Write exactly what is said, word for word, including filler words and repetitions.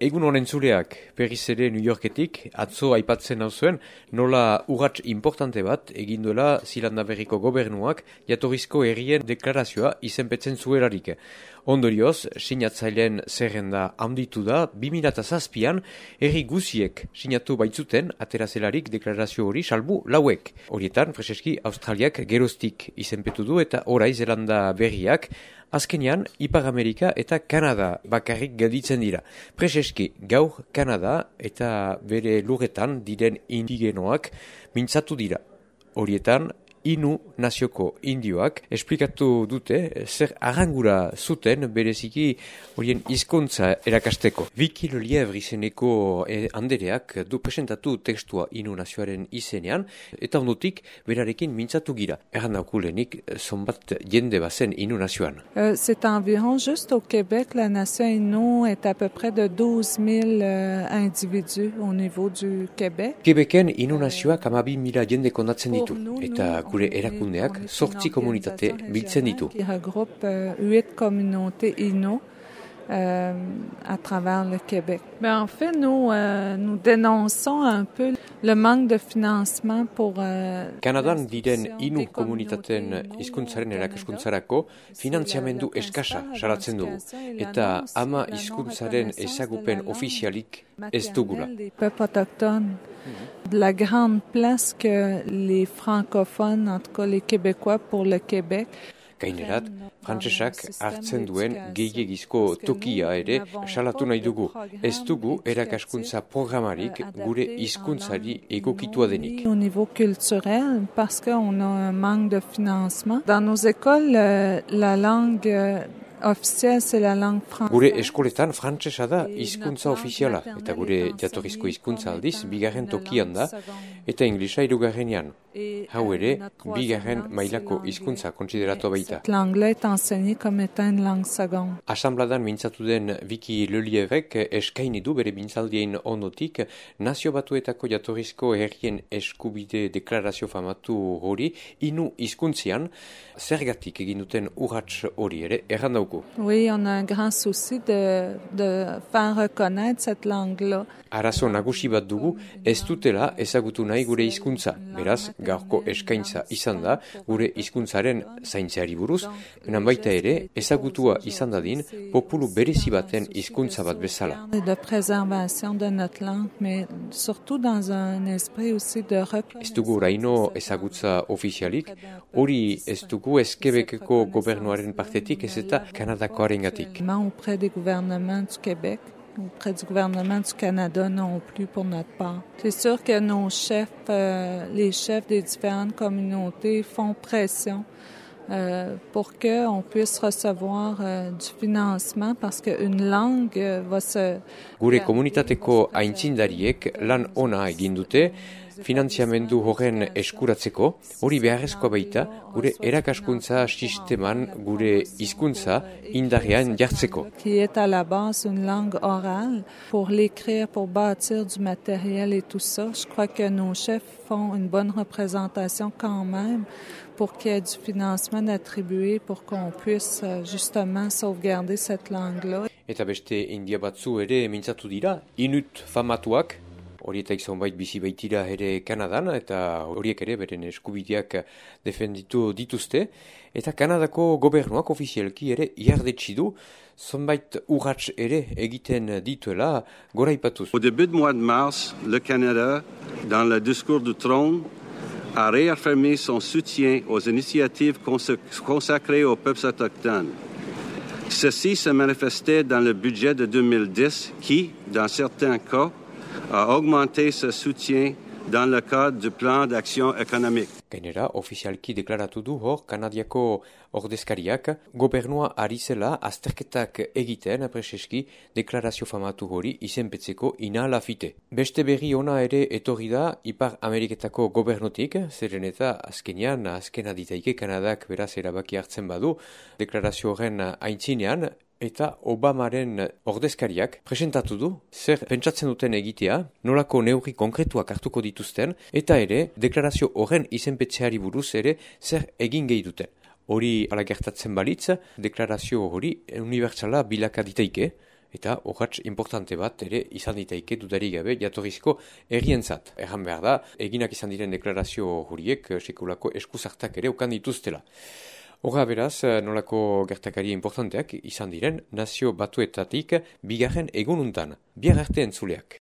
Egun honen zureak, berriz ere New Yorketik, atzo aipatzen hau zuen, nola urrats importante bat egin duela Zilanda Berriko gobernuak jatorrizko herrien deklarazioa izenpetzen zuerarik. Ondorioz, sinatzaileen zerrenda handitu da, bi mila zazpian herri guziek sinatu baitzuten aterazelarik deklarazio hori salbu lauek. Horietan, Freseski, Australiak geroztik izenpetu du eta orai Zelanda Berriak, azkenean, Ipar Amerika eta Kanada bakarrik gelditzen dira. Prezeski, gaur Kanada eta bere lurretan diren indigenoak mintzatu dira. Horietan, Inu nazioko indioak esplikatu dute zer arrangura zuten bereziki horien hizkuntza erakasteko. Viki Lelievre izeneko eh, andereak du presentatu tekstua Inu nazioaren izenean eta ondotik berarekin mintzatu gira. Errandakulenik zonbat jende bazen Inu nazioan. Euh, c'est environ, juste au Québec, la nation Innu est à peu près de douze mille euh, individus au niveau du Québec. Québecen Inu nazioak hamabi mila jende kondatzen ditu eta gure erakundeak zortzi komunitate biltzen ditu. Qui regroupe euh, huit communautés Innu euh, à travers le Québec. Ben, en fait, nous, euh, nous dénonçons un peu le manque de financement pour... Euh, Kanadan diren Inu komunitateen hizkuntzaren erakaskuntzarako finanziamendu eskasa salatzen dugu eta ama hizkuntzaren ezagupen ofizialik ez dugula. Peuples autochtones, de la grande place que les francophones, en tout cas les Québécois pour le Québec. Gainerat, frantsesak hartzen duen gehiegizko tokia ere salatu nahi dugu. Ez dugu erakaskuntza programarik gure hizkuntzari egokitua denik. Au niveau culturel, parce qu'on a un manque de financement. Dans nos écoles, la langue officielle, c'est la langue française. Gure eskoletan frantsesa da hizkuntza ofiziala eta gure jatorrizko hizkuntza aldiz bigarren tokian da eta inglesa hirugarrenean. Hau ere, bigarren mailako hizkuntza kontsideratu baita. L'anglais est enseigné comme étant une langue seconde. Asambladan mintzatu den Viki Lelievek eskaini du bere mintzaldien ondotik nazio batuetako jatorrizko herrien eskubide deklarazio famatu hori Inu hizkuntzian zergatik egin duten urrats hori ere errandauko. Oui, on a un grand souci de, de faire reconnaître cette langue-là. Arazo nagusi bat dugu ez dutela ezagutu nahi gure hizkuntza. Beraz, gaurko eskaintza izan da gure hizkuntzaren zaintzeari buruz, baina baita ere ezagutua izan dadin populu berezi baten hizkuntza bat bezala. De préservation de notre langue, mais surtout dans un esprit aussi de reconnaissance. Ez dugu oraino ezagutza ofizialik, hori ez dugu ez Quebeceko gobernuaren partetik ez eta Kanadakoarengatik. Auprès des gouvernements du Québec, auprès du gouvernement du Canada non plus pour notre part. C'est sûr que nos chefs, euh, les chefs des différentes communautés font pression euh, pour qu'on puisse recevoir euh, du financement parce qu'une langue euh, va se... Gure komunitateko aintzindariek lan ona egin dute, finanziamendu horren eskuratzeko, hori beharrezkoa baita, gure erakaskuntza sisteman gure hizkuntza indarrean jartzeko. Qui est à la base une langue orale pour l'écrire, pour bâtir du matériel et tout ça. Je crois que nos chefs font une bonne représentation quand même pour qu'il y ait du financement attribué pour qu'on puisse justement sauvegarder cette langue-là. Eta beste india batzu ere mintzatu dira, Inut famatuak, horietaik zonbait bizi baitira ere Kanadan, eta horiek ere beren eskubideak defenditu dituzte, eta Kanadako gobernuak ofizialki ere iardetsi du, zonbait urrats ere egiten dituela goraipatuz. Au début du mois de mars, le Canada, dans le discours du trône, a réaffirmé son soutien aux initiatives consacrées aux peuples autochtones. Ceci se manifestait dans le budget de deux mille dix qui, dans certains cas, a augmenté ce soutien dans le cadre du plan d'action économique. Gainera, ofizialki deklaratu du hor, Kanadiako ordezkariak, gobernua ari zela azterketak egiten, preseski, deklarazio famatu hori izenpetzeko inalafite. Beste berri ona ere etorri da Ipar Ameriketako gobernutik, zeren eta azkenean, azkena ditaike Kanadak beraz erabaki hartzen badu, deklarazio horren aintzinean, eta Obamaren ordezkariak presentatu du zer pentsatzen duten egitea, nolako neurri konkretuak hartuko dituzten, eta ere deklarazio horren izenpetzeari buruz ere zer egin gehi duten. Hori ala gertatzen balitz, deklarazio hori unibertsala bilaka ditaike, eta urrats importante bat ere izan ditaike dudarik gabe jatorrizko herrientzat. Erran behar da, eginak izan diren deklarazio horiek sekulako eskuzartak ere ukan dituztela. Horra beraz, nolako gertakari importanteak izan diren nazio batuetatik bigarren egununtan. Biar arte entzuleak.